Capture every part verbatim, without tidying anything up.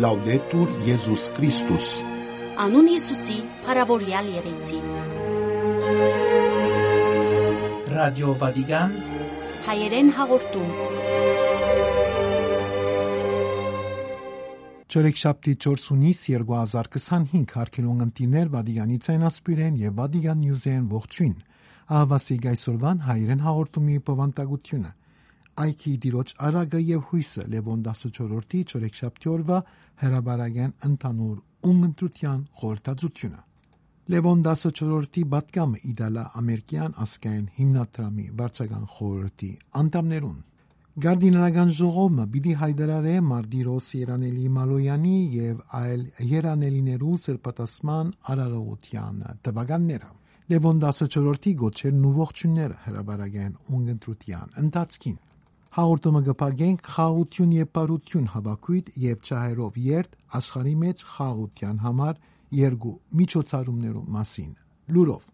Լաուդետուր Եզուս Քրիստոս։ Անուն Յիսուսի փառաւորեալ եղեցի։ Ռադիո Վատիկան, հայերեն հաղորդում։ Չորեքշաբթի չորս հունիս երկու հազար քսանհինգ, հարգելի ունգընտիրներ, Վատիկանի ցայնասպիրեն եւ Վատիկան Նիուզերեն ողջոյն։ Ահա սիկ այսօրուան հայերեն հաղորդումի բովանդակութիւնը։ Այգի Տիրոջ արագը եւ յոյսը, Լեւոն տասնչորրորդի չորեքշաբթի օրուայ հրապարակային ընդհանուր ունգընտրութեան խորհրդածութիւնը։ Լեւոն տասնչորրորդի պատգամը Իտալա-ամերիկեան ազգային հիմնադրամի վարչական խորհրդի անդամներուն։ Կարդինալական ժողովը պիտի յայտարարէ Մարտիրոս Երանելի Մալոյանի եւ այլ երանելիներու սրբատասման արարողութեան տուականները։ Լեւոն տասնչորրորդի գոչերն ու ողջոյնները հրապարակային ունգընտրութեան ընթացքին։ Հաղորդումը կը փակենք «Խաղաղութիւն եւ բարութիւն» հաւաքոյթ եւ ջահերով երթ աշխարհի մէջ խաղաղութեան համար երկու միջոցառումներու մասին լուրով։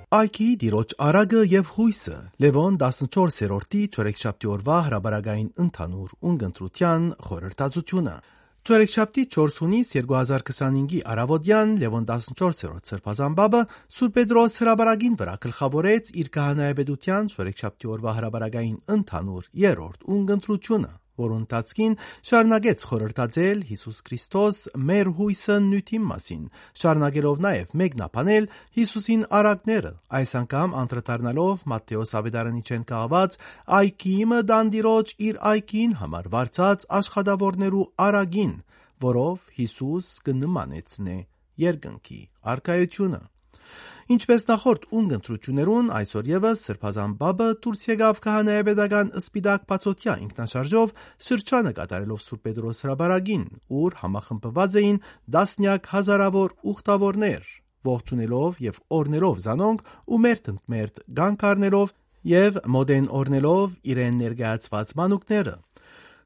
Այգի Տիրոջ արագը եւ յոյսը, Լեւոն տասնչորսերորդի չորեքշաբթի օրուայ հրապարակային ընդհանուր ունգընտրութեան խորհրդածութիւնը։ Չորեքշաբթի չորս հունիս երկու հազար քսանհինգի առաւօտեան Լեւոն տասնչորսերորդ սրբազան պապը Սուրբ Պետրոս հրապարակին վրայ գլխաւորեց իր քահանայապետութեան չորեքշաբթի օրուայ հրապարակային ընդհանուր երրորդ ունգընտրութիւնը, որուն ընթացքին շարունակեց խորհրդածել Յիսուս Քրիստոս մեր յոյսը նիւթին մասին, շարունակելով նաեւ մեկնաբանել Յիսուսին արագները, այս անգամ անդրադառնալով Մատթէոս Աւետարանիչէն կահաւած «Այգի իմը տան Տիրոջ իր այգիին համար վարձած աշխատաւորներու արագին, որով Յիսուս կը նմանեցնէ երկնքի արքայութիւնը»։ Ինչպէս նախորդ ունգընտրութիւններուն, այսօր եւս Սրբազան Պապը դուրս եկաւ քահանայապետական սպիտակ բացօթեայ ինքնաշարժով շրջանը կատարելով Սուրբ Պետրոս հրապարակին, ուր համախմբուած էին տասնեակ հազարաւոր ուխտաւորներ, ողջունելով եւ օրհնելով զանոնք ու մերթ ընդ մերթ կանգ առնելով եւ մօտէն օրհնելով իրեն ներկայացուած մանուկները։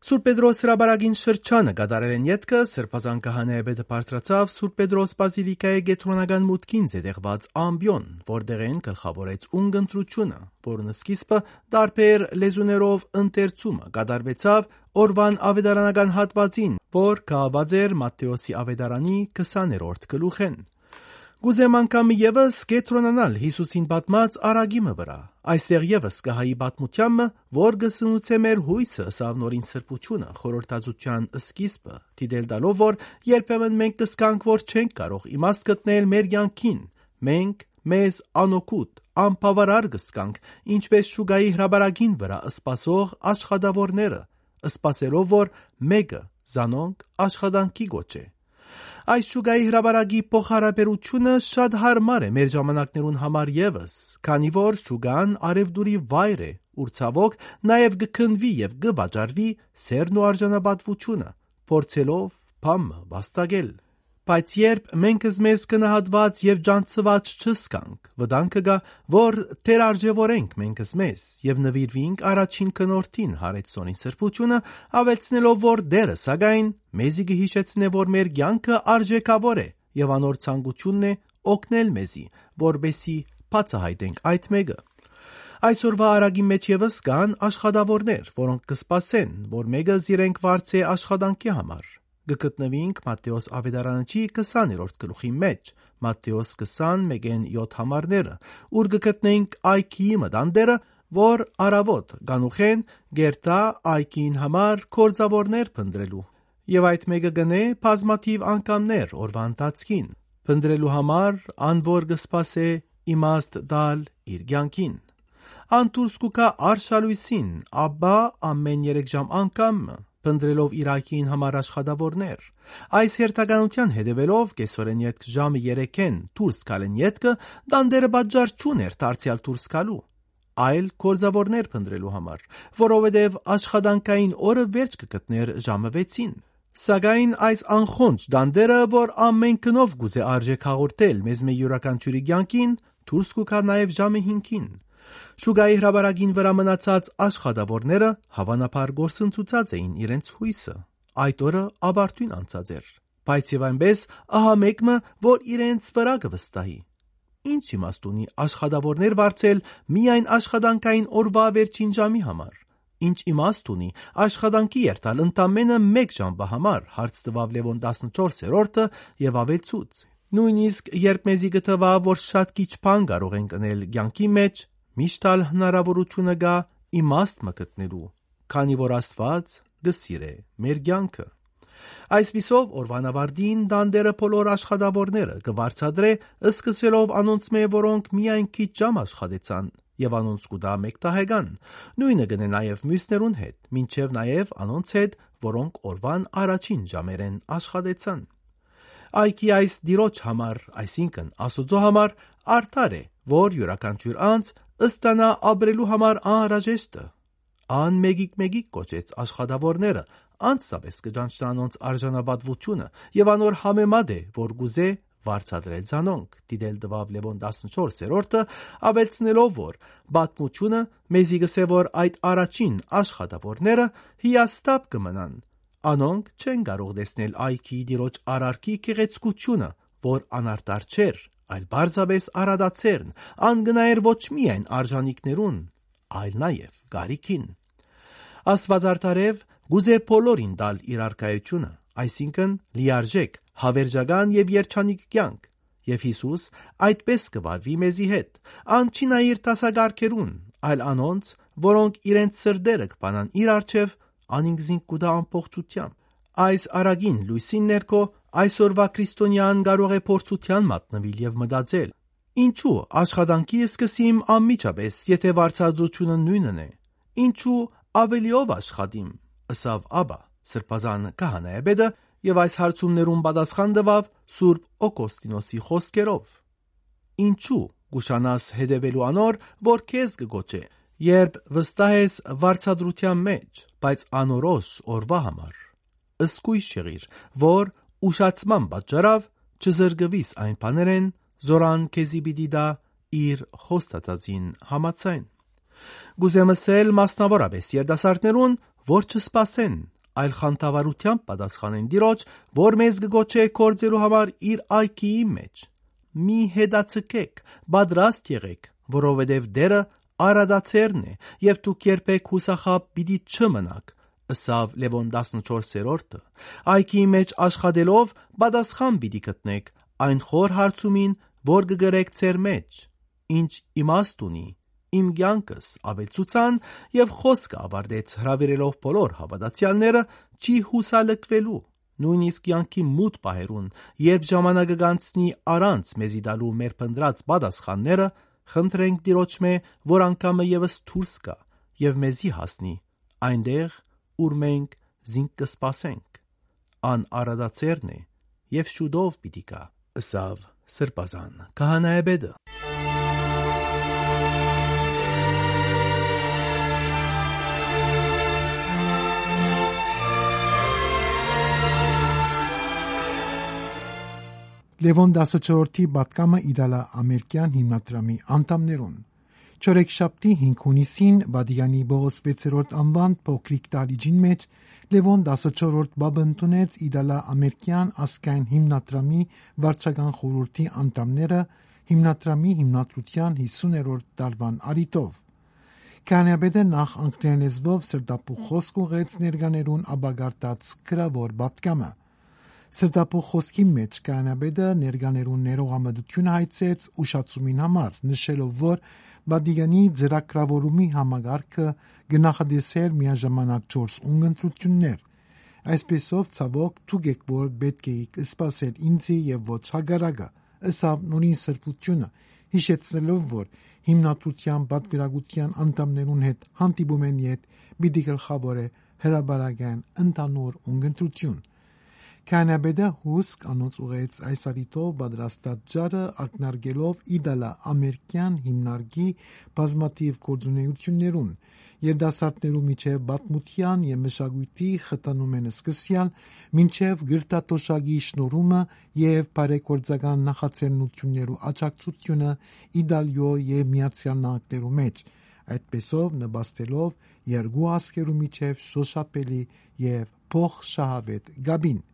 Սուրբ Պետրոս հրապարակին շրջանը կատարելէն ետքը Սրբազան քահանայապետը բարձրացաւ Սուրբ Պետրոս բազիլիկայի կեդրոնական մուտքին զետեղուած ամպիոն, որտեղէն գլխաւորեց ունգընտրութիւնը, որուն սկիզբը տարբեր լեզուներով ընթերցումը կատարուեցաւ օրուան աւետարանական հատուածին, որ կահաւած էր Մատթէոսի Աւետարանի քսաներորդ գլուխէն։ Կ'ուզեմ անգամ եւս կեդրոնանալ Յիսուսին պատմած արագի մը վրայ։ Այստեղ եւս կը հայի պատմութեան մը, որ կը սնուցէ մեր յոյսը, ըսաւ նորին սրբութիւնը, խորհրդածութեան սկիզբը, դիտել տալով, որ երբեմն մենք կ'զգանք, որ չենք կարող իմաստ գտնել մեր կեանքին, մենք մեզ անօգուտ, անբաւարար կ'զգանք, ինչպէս շուկայի հրապարակին վրայ սպասող աշխատաւորները, սպասելով, որ մէկը զանոնք աշխատանքի կոչէ։ Այս շուկայի հրապարակի փոխհարաբերութիւնը շատ յարմար է մեր ժամանակներուն համար եւս, քանի որ շուկան առեւտուրի վայր է, ուր ցաւօք նաեւ կը քննուի եւ կը վաճառուի սէրն ու արժանապատուութիւնը, փորձելով բան մը վաստակել։ Բայց երբ մենք զմեզ գնահատուած եւ ճանչցուած չզգանք, վտանգը կայ, որ թերարժեւորենք մենք զմեզ եւ նուիրուինք առաջին գնորդին, յարեց նորին սրբութիւնը, աւելցնելով, որ Տէրը, սակայն, մեզի կը յիշեցնէ, որ մեր կեանքը արժէքաւոր է եւ անոր ցանկութիւնն է օգնել մեզի, որպէսզի բացայայտենք այդ մէկը։ Այսօրուայ արագի մէջ եւս կան աշխատաւորներ, որոնք կը սպասեն, որ մէկը զիրենք վարձէ աշխատանքի համար։ Կը գտնուինք Մատթէոս Աւետարանչի քսաներորդ գլուխի մէջ, Մատթէոս քսան մէկէն յոթ համարները, ուր կը գտնենք այգիի մտան դերը, որ առաւօտ կանուխէն կերթայ այգիին համար գործաւորներ փնտռելու։ Եւ այդ մէկը կ'ընէ բազմաթիւ անգամներ օրուայ ընթացքին, փնտռելու համար, ան որ կը սպասէ իմաստ տալ իր կեանքին։ Ան դուրս կու գայ արշալոյսին, ապա ամէն երեք ժամ անգամ մը, փնտռելով իր այգիին համար աշխատաւորներ։ Այս հերթականութեան հետեւելով, կեսօրէն ետք ժամը երեքէն դուրս գալէն ետքը, տանտէրը պատճառ չունէր դարձեալ դուրս գալու, այլ գործաւորներ փնտռելու համար, որովհետեւ աշխատանքային օրը վերջ կը գտնէր ժամը վեցին։ Սակայն այս անխոնջ տանտէրը, որ ամէն գնով կ'ուզէ արժէք հաղորդել մեզմէ իւրաքանչիւրի կեանքին, դուրս կու գայ նաեւ ժամը հինգին։ Շուկայի հրապարակին վրայ մնացած աշխատաւորները, հաւանաբար, կորսնցուցած էին իրենց յոյսը։ Այդ օրը ապարդիւն անցած էր։ բայց եւ այնպէս ահա մէկ մը, որ իրենց վրայ կը վստահի։ Ի՞նչ իմաստ ունի աշխատաւորներ վարձել միայն աշխատանքային օրուայ վերջին ժամի համար։ Ի՞նչ իմաստ ունի աշխատանքի երթալ ընդամենը մէկ ժամվա համար, հարց տուաւ Լեւոն տասնչորսերորդը եւ աւելցուց. «Նոյնիսկ երբ մեզի կը թուայ, որ շատ քիչ բան կարող ենք ընել կեանքի մեջ, միշտ ալ հնարաւորութիւնը կայ իմաստ մը գտնելու, քանի որ Աստուած կը սիրէ մեր կեանքը»։ Այսպիսով, օրուան աւարտին տանտէրը բոլոր աշխատաւորները կը վարձատրէ, սկսելով անոնցմէ, որոնք միայն քիչ ժամ աշխատեցան, եւ անոնց կու տայ մէկ դահեկան։ Նոյնը կ'ընէ նաեւ միւսներուն հետ, մինչեւ նաեւ անոնց հետ, որոնք օրուան առաջին ժամերէն աշխատեցան։ Այգի այս տիրոջ համար, այսինքն՝ Աստուծոյ համար, արդար է, որ իւրաքանչիւր անձ ստանայ ապրելու համար անհրաժեշտը։ Ան մէկիկ-մէկիկ կոչեց աշխատաւորները, անձնապէս կը ճանչնայ անոնց արժանապատուութիւնը եւ անոր համեմատ է, որ կ'ուզէ վարձատրել զանոնք, դիտել տուաւ Լեւոն տասնչորսերորդը, աւելցնելով, որ պատմութիւնը մեզի կ'ըսէ, որ այդ առաջին աշխատաւորները հիասթափ կը մնան։ Անոնք չեն կարող տեսնել այգիի տիրոջ արարքի գեղեցկութիւնը, որ անարդար չէր, այլ պարզապէս արադացերն, ան կը նայէր ոչ միայն արժանիքներուն, այլ նաեւ կարիքին։ Աստուած արդարեւ կ'ուզէ բոլորին տալ իր արքայութիւնը, այսինքն՝ լիարժէք, հաւերժական եւ երջանիկ կեանք։ Եւ Յիսուս այդպէս կը վարուի մեզի հետ։ Ան չի նայիր դասակարգերուն, այլ անոնց, որոնք իրենց սրտերը կը բանան իր առջեւ, անինք զինք կու տայ ամբողջութեամբ։ Այս առակին լոյսին ներքո այսօրուայ քրիստոնեան կարող է փորձութեան մատնուիլ եւ մտածել. «Ինչու աշխատանքի սկսիմ անմիջապէս, եթէ վարձատրութիւնը նոյնն է։ Ինչու աւելիով աշխատիմ», ըսաւ ապա սրբազան քահանայապետը, եւ այս հարցումներուն պատասխան տուաւ Սուրբ Օգոստինոսի խօսքերով. «Ինչու կուշանաս հետեւելու անոր, որ քեզ կը կոչէ, երբ վստահ ես վարձատրութեան մեջ, բայց անորոշ օրուայ համար։ Զգոյշ եղիր, որ ուշացման պատճառաւ չզրկուիս այն բաներէն, զորան քեզի պիտի տայ իր խոստացածին համաձայն»։ Կ'ուզեմ ըսել մասնաւորապէս երիտասարդներուն, որ չսպասեն, այլ խանդավառութեամբ պատասխանեն Տիրոջ, որ մեզ կը կոչէ գործելու համար իր այգիի մեջ։ «Մի հետաձգէք, պատրաստ եղէք, որովհետեւ Տէրը արադացերն է եւ դուք երբեք յուսախաբ պիտի չմնաք», ըսաւ Լեւոն տասնչորսերորդը։ Այգիի մեջ աշխատելով՝ պատասխան պիտի գտնէք այն խոր հարցումին, որ կը կրէք ձեր մեջ. «Ի՞նչ իմաստ ունի իմ կեանքս», աւելցուցան, եւ խօսքը աւարտեց հրաւիրելով բոլոր հաւատացեալները չի յուսալքուելու, նոյնիսկ կեանքի մութ պահերուն, երբ ժամանակը կ'անցնի առանց մեզի տալու մեր փնտռած պատասխանները, խնդրենք Տիրոջմէ, որ անգամը եւս դուրս գայ եւ մեզի հասնի այնտեղ, ուր մենք զինք կը սպասենք։ Ան արադացերն է եւ շուտով պիտի գայ, ըսաւ սրբազան քահանայապետը։ Լեւոն տասնչորսերորդի պատգամը Իտալա Ամերիկյան հիմնադրամի անդամներուն։ Չորեքշաբթի հինգ հունիսին Վատիկանի Պողոս վեցերորդ անուան փոքրիկ դահլիճին մէջ Լեւոն տասնչորսերորդ Պապը ընդունեց Իտալա Ամերիկյան ազգային հիմնադրամի վարչական խորհրդի անդամները հիմնադրամի հիմնադրության յիսուներորդ տարուան առիթով։ Քահանայապետը նախ անգլերեն լեզուով սրտաբուխ խօսք ուղղեց ներկաներուն ապակարգած գրաւոր պատգամը։ Սրտաբուխ խօսքի մէջ քահանայապետը ներկաներուն ներողամտությունը հայցեց ուշացումին համար, նշելով, որ Վատիկանի ծրագրաւորումի համակարգը կը նախատեսէր միաժամանակ չորս ունգընտրութիւններ։ «Այսպիսով, ցաւոք, դուք էք, որ պէտք էիք սպասել ինձի եւ ոչ հակառակը», ըսաւ նորին սրբութիւնը, յիշեցնելով, որ հիմնադրության պատվիրակութեան անդամներուն հետ հանդիպումէն յետ պիտի գլխաւորէ հրապարակային ընդհանուր ունգընտրութիւն։ Քահանայապետը հուսկ անոնց ուղղեց այս առիթով պատրաստած ջարը, ակնարկելով Իտալա Ամերիկյան հիմնարկի բազմաթիւ գործունեութիւններուն, երիտասարդներու միջեւ պատմութեան եւ մշակոյթի խթանումէն սկսեալ, մինչեւ կրթաթոշակի շնորհումը եւ բարեգործական նախաձեռնություններու աջակցությունը Իտալիոյ եւ Միացեալ Նահանգներու մէջ, այդպէսով նպաստելով երկու ազգերու միջեւ շոշափելի եւ փոխշահավետ կապին։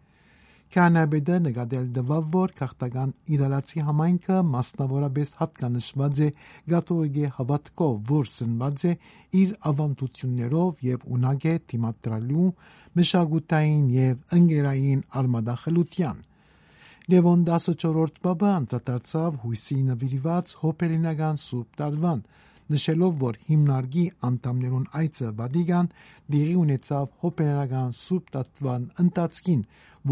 Քահանայապետը նկատել տուաւ, որ գաղթական Իրալացի համայնքը մասնաւորապէս յատկանշուած է կաթողիկէ հաւատքով, որ սնուած է իր աւանդութիւններով եւ ունակ է դիմադրելու մշակութային եւ ընկերային արմատախլութեան։ Լեւոն տասը չորրորդ պապը անդրադարձաւ յոյսի նուիրուած հոբելենական Սուրբ Տարուան, նշելով, որ հիմնարկի անդամներուն այցը Վատիկան տեղի ունեցաւ հոբելենական Սուրբ Տարուան ընթացքին,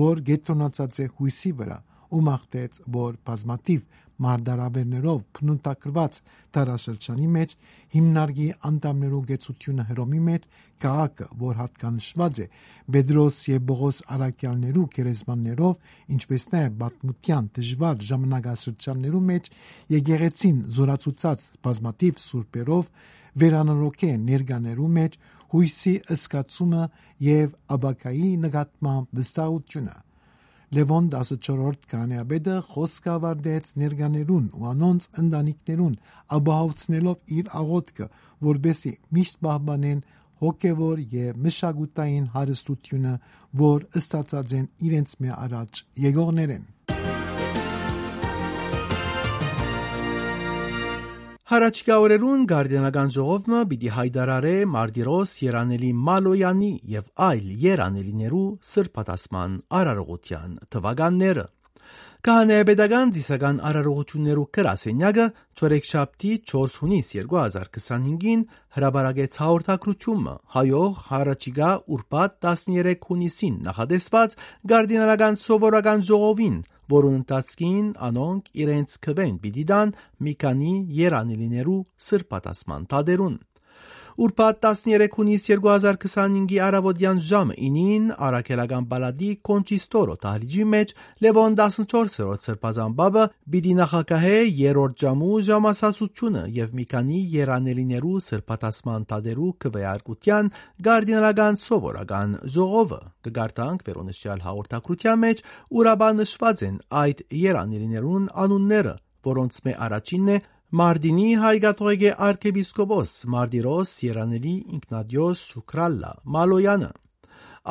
որ կեդրոնացած է յոյսի վրայ, ու մաղթեց, որ բազմաթիւ մարտահրաւէրներով բնութագրուած դարաշրջանի մէջ հիմնարկի անդամներու կեցութիւնը Հռոմի մէջ, քաղաքը, որ յատկանշուած է Պետրոս եւ Պողոս առաքեալներու գերեզմաններով, ինչպէս նաեւ պատմութեան դժուար ժամանակաշրջաններու մէջ եկեղեցին զօրացուցած բազմաթիւ սուրբերով, վերանորոգէ ներկաներու մէջ յոյսի զգացումը եւ ապագայի նկատմամբ վստահութիւնը։ Լեւոն տասը չորրորդ քահանայապետը խօսքը աւարտեց ներկաներուն ու անոնց ընտանիքներուն, ապահովցնելով իր աղօթքը, որպէսզի միշտ պահպանեն հոգեւոր եւ մշակութային հարստութիւնը, որ ստացած են իրենց մէ առաջ եկողներէն։ Հառաչիկա օրերուն Կարդինալական ժողովը պիտի յայտարարէ մարտիրոս երանելի Մալոյանի եւ այլ երանելիներու սրբատասման արարողութեան թուականները։ Քահանայապետական ծիսական արարողութիւններու գրասենյակը չորեքշաբթի չորս յունիս երկու հազար քսանհինգին հրապարակեց հաղորդագրութիւնը, հայող հառաչիկա ուրբաթ տասներեք յունիսին նախատեսուած Կարդինալական սովորական ժողովին, որուն ընթացքին անոնք իրենց քուէն պիտի տան մի քանի երանելիներու սրբատասման դատերուն։ Ուրբաթ տասներեք յունիս երկու հազար քսանհինգի առաւօտեան ժամը ինին առաքելական պալատի Կոնչիստորո դահլիճի մէջ Լեւոն տասնչորսերորդ սրբազան պապը պիտի նախագահէ երրորդ ժամու ժամասացութիւնը եւ մի քանի երանելիներու սրբատասման դատերու քուէարկութեան Կարդինալական սովորական ժողովը։ Կը կարդանք վերոնշեալ հաղորդագրութեան մէջ, ուր ապա նշուած են այդ երանելիներուն անունները, որոնցմէ առաջինն է Մարտինի հայ կաթողիկէ արքեպիսկոպոս մարտիրոս երանելի Ինքնատիոս Շուքրալլա Մալոյանը,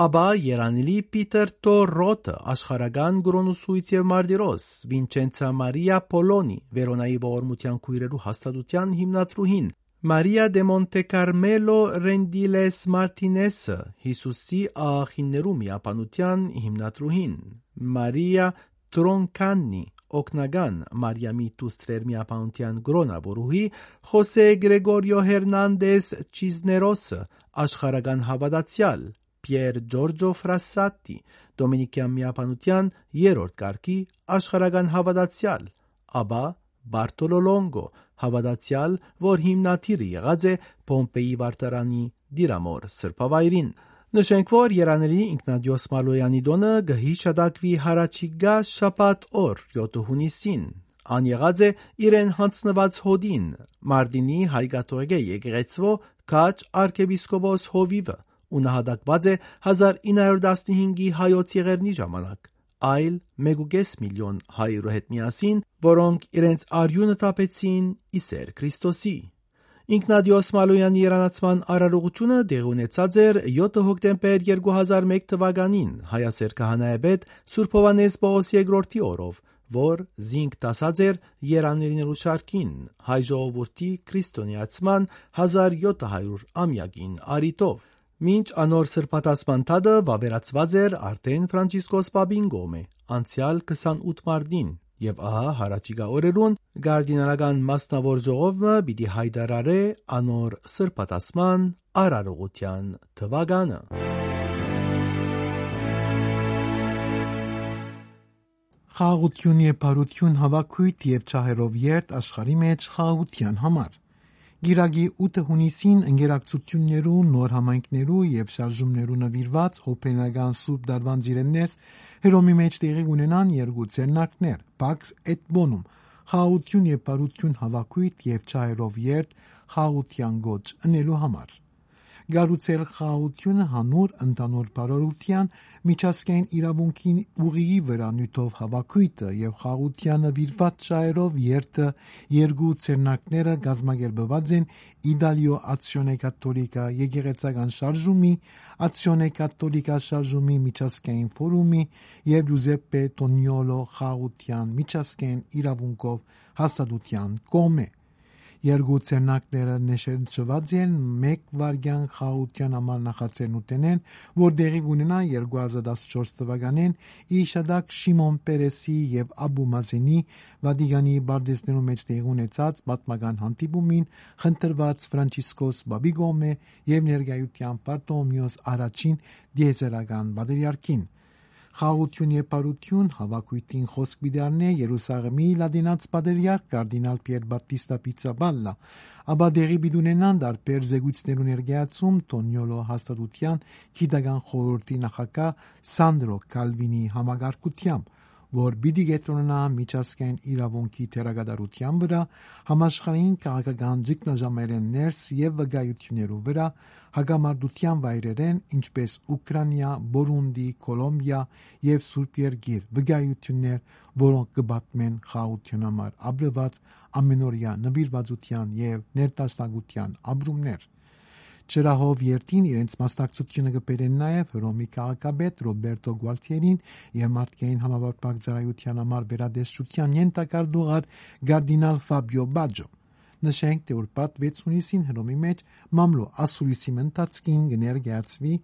ապա երանելի Պիտեր Թ. Ռոթը, աշխարհական կրօնուսոյց եւ մարտիրոս Վինչենցա Մարիա Պոլոնի, Վերոնայի ողորմութեան քոյրերու հաստատութեան հիմնադրուհին, Մարիա դե Մոնտեքարմելո Ռենդիլես Մարտինեսը, Յիսուսի աղախիններու միաբանութեան հիմնադրուհին, Մարիա Տրոնքաննի, օգնական Մարիամի դուստրեր միաբանութեան կրօնաւորուհի, Խոսե Գրեգորիո Հերնանդես Չիզներոսը, աշխարհական հաւատացեալ, Պիեր Ջորջո Ֆրասատի, Դոմինիկյան միաբանութեան երրորդ կարգի աշխարհական հաւատացեալ, ապա Բարթոլո Լոնգո, հաւատացեալ, որ հիմնադիրը եղած է Պոմպէի վարդարանի դիրամոր սրբավայրին։ Նշենք, որ երանելի Ինքնատիոս Մալոյանի տօնը կը յիշատակուի հառաչիկա շաբաթ օր, յոթ յունիսին։ Ան եղած է իրեն յանձնուած հօտին, Մարտինի հայ կաթողիկէ եկեղեցւոյ քաջ արքեպիսկոպոս հովիւը, ու նահատակուած է հազար ինը հարիւր տասնհինգի հայոց եղեռնի ժամանակ, այլ մէկ ու կէս միլիոն հայերու հետ միասին, որոնք իրենց արիւնը թափեցին ի սէր Քրիստոսի։ Ինքնատիոս Մալոյանի երանացման արարողութիւնը տեղի ունեցած էր յոթ հոկտեմբեր երկու հազար մէկ թուականին հայասէր քահանայապետ Սուրբ Յովհաննէս Պողոս երկրորդի օրով, որ զինք դասած էր երանելիներու շարքին, հայ ժողովուրդի քրիստոնեացման հազար յոթ հարիւր ամեակին առիթով։ Մինչ անոր սրբատասման դատը վաւերացուած էր արդէն Ֆրանցիսկոս Պապին կողմէ, անցեալ քսանութ մարտին, եւ ահա հառաչիկա օրերուն կարդինալական մասնաւոր ժողովը պիտի յայտարարէ անոր սրբատասման արարողութեան թուականը։ Խաղաղութիւն եւ բարութիւն, հաւաքոյթ եւ ջահերով երթ աշխարհի մէջ խաղաղութեան համար։ Կիրակի ութ հունիսին ընկերակցութիւններու, նոր համայնքներու եւ շարժումներու նուիրուած հոբելենական Սուրբ Տարուան ծիրէն ներս Հռոմի մէջ տեղի կ'ունենան երկու ձեռնարկներ, Pax et Bonum, խաղաղութիւն եւ բարութիւն, հաւաքոյթ եւ ջահերով երթ խաղաղութեան կոչ ընելու համար։ Գառուցել խաղաղութիւնը յանուր ընդհանուր բարօրութեան, միջազգային իրաւունքին ուղիի վրայ նիւթով հաւաքոյթը եւ խաղաղութեանը վիրուած շահերով երթը երկու ձեռնարկները կազմակերպուած են Իտալիոյ Ացիոնե Կաթոլիկա եկեղեցական շարժումի, Ացիոնե Կաթոլիկա շարժումի միջազգային ֆորումի եւ Ջուզեպպե Տոնիոլո խաղաղութեան միջազգային իրաւունքով հաստատութեան կողմէ։ Երկու ձեռնարկները նշանչուած են մեկ վայրկեան խաղաղութեան համար նախաձեռնութենէն, որ տեղի կ'ունենայ երկու հազար տասնչորս թուականէն, ի շտակ Շիմոն Պերեսի եւ Աբու Մազենի Վատիկանի պարտեզներու մէջ տեղի ունեցած պատմական հանդիպումին, խնդրուած Ֆրանցիսկոս Պապի կողմէ եւ ներկայութեան Պարտոմիոս Առաջին տիեզերական պատրիարքին։ Խաղաղութիւն եւ բարութիւն հաւաքոյթին խօսք պիտի առնէ Երուսաղէմի լատինաց պատրիարք կարդինալ Պիեր Բատիստա Պիցապալլա, ապա տեղի պիտի ունենան տարբեր զեկոյցներու ներկայացում Տոնիոլո հաստատութեան գիտական խորհրդի նախագահ Սանդրո Կալվինի համակարգութեամբ, որ պիտի կեդրոնանայ միջազգային իրաւունքի դերակատարութեան վրայ, համաշխարհային քաղաքական ճգնաժամերէն ներս եւ վկայութիւններու վրայ, հակամարտութեան վայրերէն, ինչպէս Ուկրանիա, Բորունդի, Կոլոմբիա եւ Սուրբ Երկիր, վկայութիւններ, որոնք կը պատմեն խաղաղութեան համար ապրուած ամենօրեայ նուիրուածութեան եւ ներդաշնակութեան ապրումներ։ Ջրահով երթին իրենց մասնակցութիւնը կը բերեն նաեւ Հռոմի քաղաքապետ Ռոբերտո Գուալթիերին եւ մարդկային համապարփակ ծառայութեան համար վերատեսչութեան ենթակարգ տուղար կարդինալ Ֆաբիո Բաջո։ Նշենք, թէ ուրբաթ վեց յունիսին Հռոմի մէջ մամլոյ ասուլիսի մը ընթացքին կը ներկայացուի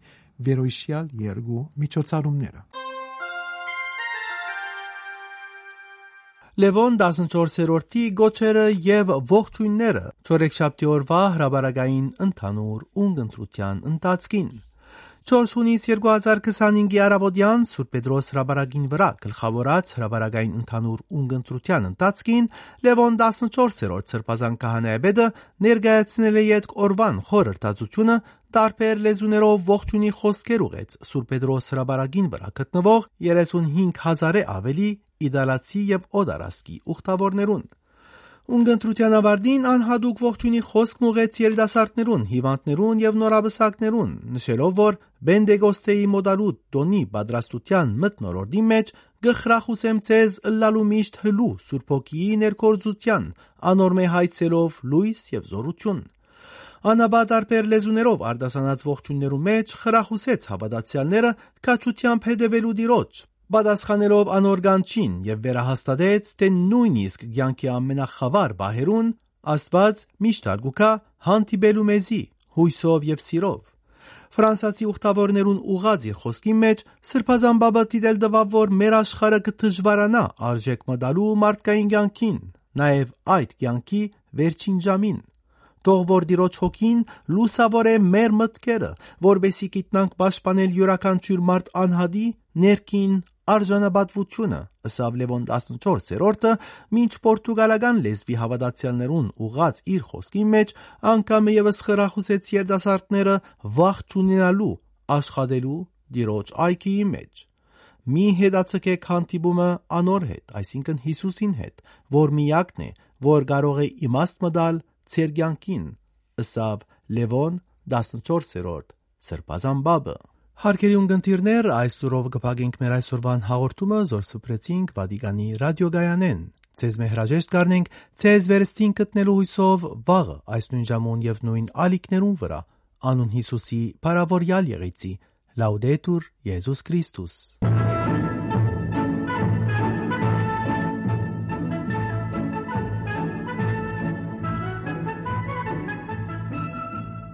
վերոյշեալ երկու միջոցառումները։ Լեւոն տասնչորսերորդի գոչերը եւ ողջոյնները, չորեքշաբթի օրուայ հրապարակային ընդհանուր ունգընտրութեան ընթացքին։ Չորս յունիս երկու հազար քսանհինգի առաւօտեան Սուրբ Պետրոս հրապարակին վրայ գլխաւորած հրապարակային ընդհանուր ունգընտրութեան ընթացքին Լեւոն տասնչորսերորդ սրբազան քահանայապետը ներկայացնել է ետք օրուան խորհրդածությունը, տարբեր լեզուներով ողջունի խօսքեր ուղղեց Սուրբ Պետրոս հրապարակին վրայ գտնուող երեսունհինգ հազարէ աւելի իտալացի եւ օտարազգի ուխտաւորներուն։ Ունգընտրութեան աւարտին անհատուկ ողջունի խօսքն ուղղեց երիտասարդներուն, հիւանդներուն եւ նորապսակներուն, նշելով, որ Պենտեկոստեի մօտալուտ տօնի պատրաստութեան մթնոլորտին մէջ կը խրախուսեմ ձեզ ըլլալու միշտ հլու Սուրբ Հոգիի ներգործութեան, անոր մէ հայցելով լոյս եւ զօրութիւն։ Անապա տարբեր լեզուներով արտասանած ողջոյններու մէջ խրախուսեց հաւատացեալները քաջութեամբ հետեւելու Տիրոջ, պատասխանելով անոր կանչին, եւ վերահաստատեց, թէ նոյնիսկ կեանքի ամենախաւար պահերուն Աստուած միշտ ալ կու գայ հանդիպելու մեզի հոյսով եւ սիրով։ Ֆրանսացի ուխտաւորներուն ուղղած իր խօսքին մէջ Սրբազան Պապը դիտել տուաւ, որ մեր աշխարհը կը դժուարանայ արժէք մը տալու մարդկային կեանքին, նաեւ այդ կեանքի վերջին ժամին։ Թող որ Տիրոջ Հոգին լուսաւորէ մեր մտքերը, որպէսզի գիտնանք պաշտպանել իւրաքանչիւր մարդ անհատի ներքին արժանապատուությունը, ըսաւ Լեւոն տասնչորսերորդը, մինչ պորտուգալական լեզուի հաւատացեալներուն ուղղած իր խօսքին մէջ անգամը եւս խրախուսեց երիտասարդները վախ չունենալու, աշխատելու Տիրոջ այգիի մէջ։ Մի հետաձգեք հանդիպումը անոր հետ, այսինքն Յիսուսին հետ, որ միակն է, որ կարող է իմաստ մը տալ ձեր կեանքին, ըսաւ Լեւոն տասնչորսերորդ սրբազան պապը։ Հարգելի ունգընտիրներ, այս լուրով կը փակենք մեր այսօրվան հաղորդումը, զոր սփռեցինք Վատիկանի ռադիոկայանէն։ Ձեզ մե հրաժեշտ կ'առնենք ձեզ վերստին գտնելու հույսով վաղը այս նոյն ժամուն եւ նոյն ալիքներուն վրայ, անուն Յիսուսի փառաւորեալ եղեցի։ Լաուդետուր Յիսուս Քրիստոս։